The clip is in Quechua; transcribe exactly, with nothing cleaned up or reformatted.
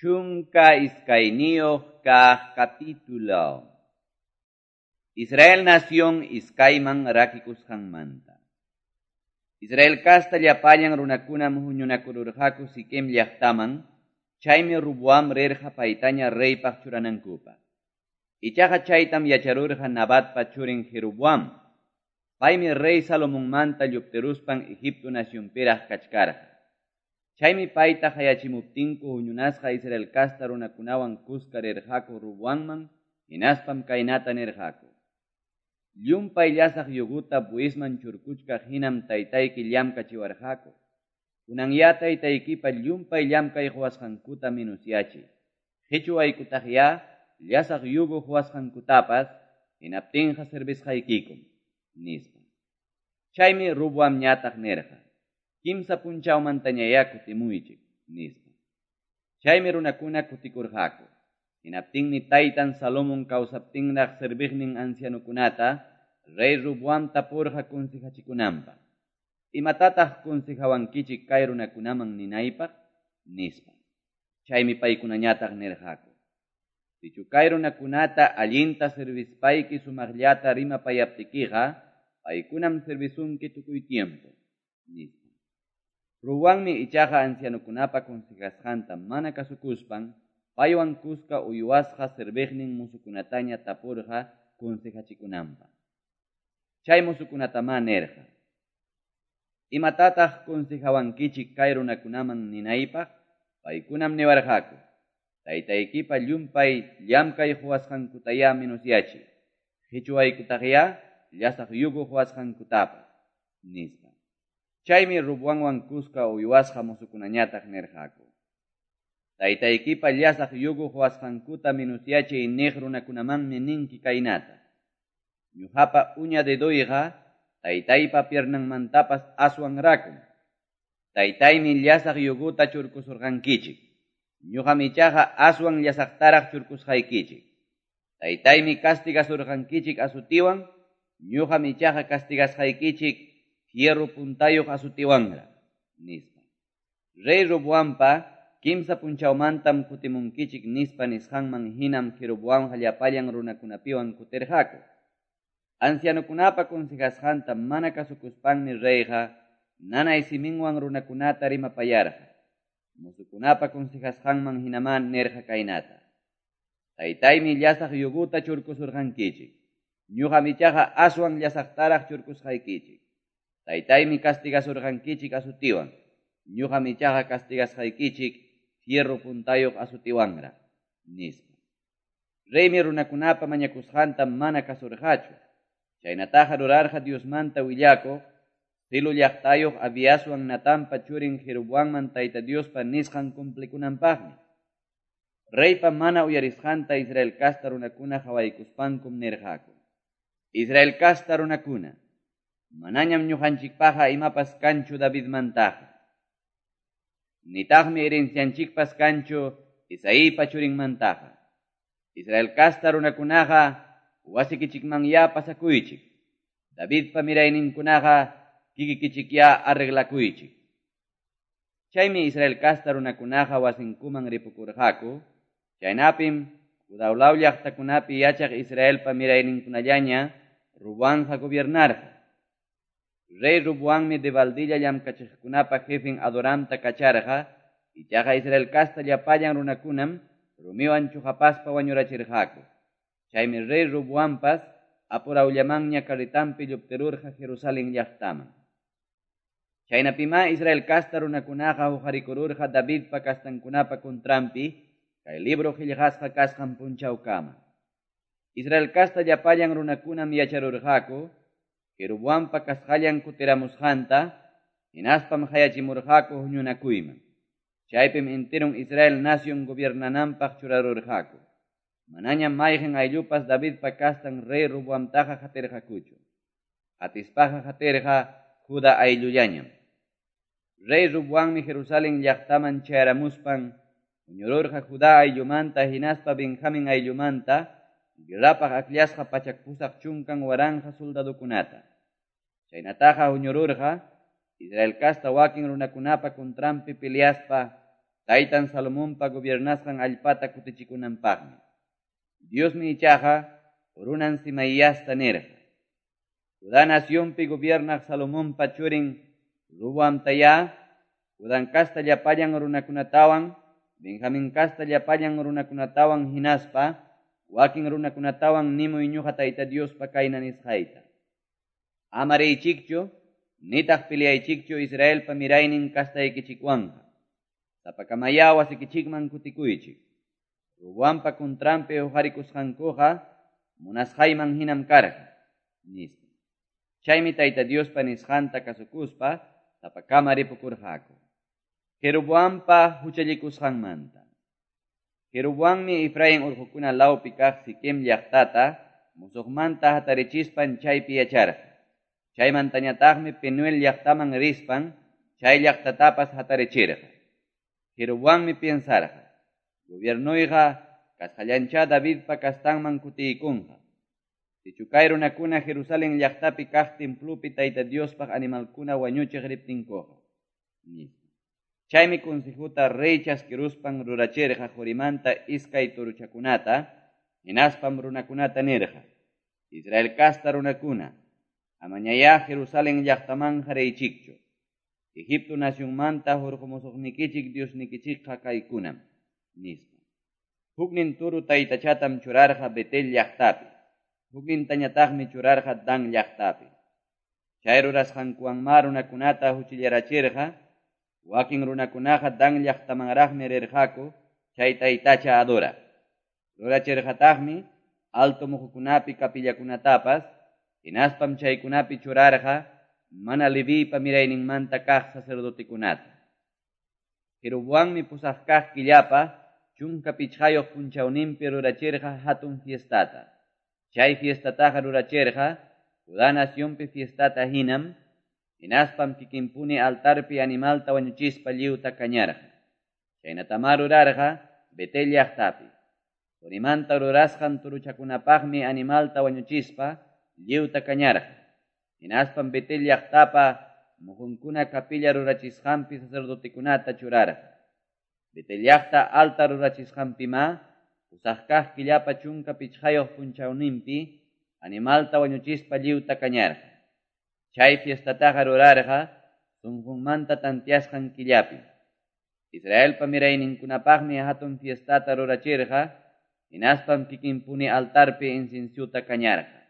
Chunka iskayniyuq kaq capítulo. Israel nación iskayman rakikusqanmanta. Israel casta llapallan runakunam huñunakururqaku Siquem llaqtaman, chaymi Roboam rirqa paytaña reypaq churanankupaq. Ichaqa chaytam yacharurqa Nabatpa churin Jeroboam. Paymi rey Salomonmanta lluptiruspan Egipto nacionpiraq kachkarqa. Chaymi payta qayachimuptinku huñunasqa Israel casta runakunawan kuska rirqaku Roboamman, hinaspam kaynata nirqaku: Llumpay llasaq yuguta buisman churkuchkaq hinam taytayki llamkachiwarqaku. Kunanyá taytaykipa llumpay llamkay quwasqankuta minusyachiy. Qichuwaykutaqyá llasaq yugu quwasqankutapas, hinaptinqa servisqaykikum, nispa. Chaymi Roboamñataq nirqa: Kimsa punchawmantañayá kutimuychik, nispa. Chaymi runakuna kutikurqaku. Hinaptinmi taytan Salomón kawsaptinraq serviqnin ancianukunata rey Roboam tapurqa consejachikunanpaq. Imatataq consejawankichik kay runakunaman ninaypaq? Nispa. Chaymi paykunañataq nirqaku: Sichu kay runakunata allinta servispayki sumaqllata rimapayaptikiqa, paykunam servisunki tukuy tiempo, nispa. Roboammi ichaqa ancianukunapa consejasqanta mana kasukuspan, paywan kuska uywasqa serviqnin musukunataña tapurqa consejachikunanpaq. Chay musukunatamá nirqa: Imatataq consejawankichik kay runakunaman ninaypaq? Paykunam niwarqaku: Taytaykipa llumpay llamkay quwasqankutayá minusyachiy. Qichuwaykutaqyá llasaq yugu quwasqankutapas, nispa. Chaymi Roboamwan kuska uywasqa musukunañataq nirqaku: Taytaykipa llasaq yugu quwasqankuta minusyachiy niq runakunamanmi ninki kaynata: Ñuqapa uña dedoyqa taytaypa piernanmantapas aswan rakum. Taytaymi llasaq yuguta churkusurqankichik. Ñuqam ichaqa aswan llasaqtaraq churkusqaykichik. Taytaymi castigasurqankichik asutiwan, ñuqam ichaqa castigasqaykichik fierro puntayuq asutiwanraq, nispa. Rey Roboampa kimsa punchawmantam kutimunkichik nispa nisqanman hinam Jeroboamqa llapallan runakunapiwan kutirqaku. Ancianukunapa consejasqanta mana kasukuspanmi reyqa nanay siminwan runakunata rimapayarqa. Musukunapa consejasqanman hinamá nirqa kaynata: Taytaymi llasaq yuguta churkusurqankichik. Ñuqam ichaqa aswan llasaqtaraq churkusqaykichik. Taytaymi castigasurqankichik asutiwan. Ñuqam ichaqa castigasqaykichik fierro puntayuq asutiwanraq, nispa. Reymi runakunapa mañakusqanta mana kasurqachu. Chaynataqa rurarqa Diosmanta willakuq, Silo llaqtayuq Abiaswan Natanpa churin Jeroboamman Tayta Diospa nisqan cumplikunanpaqmi. Reypa mana uyarisqanta Israel casta runakuna qawaykuspankum nirqaku: Israel casta runakuna, manañam ñuqanchikpaqa imapas kanchu Davidmantaqa. Nitaqmi herencianchikpas kanchu Isaípa churinmantaqa. Israel casta runakunaqa wasikichikmanyá pasakuychik. Davidpa mirayninkunaqa kikikichikyá arreglakuychik. Chaymi Israel casta runakunaqa wasinkuman ripukurqaku. Chaynapim Judá law llaqtakunapi yachaq Israelpa mirayninkunallaña Roboamqa gobiernarqa. Rey Roboammi debaldilla llamkachiqkunapa jefin Adoramta kacharqa, ichaqa Israel casta llapallan runakunam rumiwan chuqapaspa wañurachirqaku. Chaymi rey Roboampas apurawllamanña carretanpi lluptirurqa Jerusalén llaqtaman. Chaynapimá Israel casta runakunaqa huqarikururqa Davidpa castankunapa contranpi, kay libro qillqasqa kasqan punchawkama. Israel casta llapallan runakunam yacharurqaku Jeroboampa kasqallan kutiramusqanta, hinaspam qayachimurqaku huñunakuyman. Chaypim enteron Israel nación gobiernananpaq churarurqaku. Manañam mayqin ayllupas Davidpa kastan rey Roboamtaqa qatirqakuchu. Qatispaqa qatirqa Judá ayllullañam. Rey Roboammi Jerusalén llaqtaman chayaramuspan huñururqa Judá ayllumanta hinaspa Benjamín ayllumanta guerrapaq akllasqa pachak pusaq chunkan waranqa soldadokunata. Chaynataqa huñururqa Israel casta wakin runakunapa contranpi peleaspa taytan Salomonpa gobiernasqan allpata kutichikunanpaqmi. Diosmi ichaqa runan Semaiasta nirqa: Judá nacionpi gobiernaq Salomonpa churin Roboamtayá Judá casta llapallan runakunatawan, Benjamín casta llapallan runakunatawan hinaspa wakin runakunatawan nimuy ñuqa Tayta Diospa kayna nisqayta: Ama riychikchu, nitaq peleaychikchu Israelpa miraynin castaykichikwanqa. Sapakamayá wasikichikman kutikuychik. Roboampa contranpi huqarikusqankuqa munasqayman hinam karqa, nispa. Chaymi Tayta Diospa nisqanta kasukuspa sapakama ripukurqaku. Jeroboampa huchallikusqanmanta. Jeroboammi Efraín urqukuna lawpi kaq Siquem llaqtata musuqmanta hatarichispan chaypi yacharqa. Chaymantañataqmi Penuel llaqtaman rispan chay llaqtatapas hatarichirqa. Jeroboammi piensarqa: Gobiernoyqa kasqallanchá Davidpa kastanman kutiykunqa. Sichu kay runakuna Jerusalén llaqtapi kaq templopi Tayta Diospaq animalkuna wañuchiq riptinkuqa, nispa. Chaymi consejuta rey chaskiruspan rurachirqa qurimanta iskay turuchakunata, hinaspam runakunata nirqa: Israel casta runakuna, amañayá Jerusalén llaqtamanqa riychikchu. Egipto nacionmanta hurqumusuqnikichik Diosnikichikqa kaykunam, nispa. Huknin turu taytachatam churarqa Betel llaqtapi, huknintañataqmi churarqa Dan llaqtapi. Chay rurasqankuwanmá runakunata huchillarachirqa, wakin runakunaqa Dan llaqtamanraqmi rirqaku chay taytacha adoraq. Rurachirqataqmi alto muhukunapi kapillakunatapas, hinaspam chaykunapi churarqa mana Leviypa mirayninmanta kaq sacerdotekunata. Jeroboammi pusaq kaq killapa chunka pichqayuq punchawninpi rurachirqa hatun fiestata. Chay fiestataqa rurachirqa Judá nacionpi fiestata hinam, hinaspam kikinpuni altarpi animalta wañuchispa lliwta kañarqa. Chaynatamá rurarqa Betel llaqtapi. Qurimanta rurasqan turuchakunapaqmi animalta wañuchispa lliwta kañarqa. Hinaspam Betel llaqtapa muhunkuna kapilla rurachisqanpi sacerdotekunata churarqa. Betel llaqta alta rurachisqanpimá pusaq kaq killapa chunka pichqayuq punchawninpi animalta wañuchispa lliwta kañarqa. Chay fiestataqa rurarqa sunqunmanta tantiasqan killapi. Israelpa mirayninkunapaqmi hatun fiestata rurachirqa, hinaspam kikinpuni altarpi inciensuta kañarqa.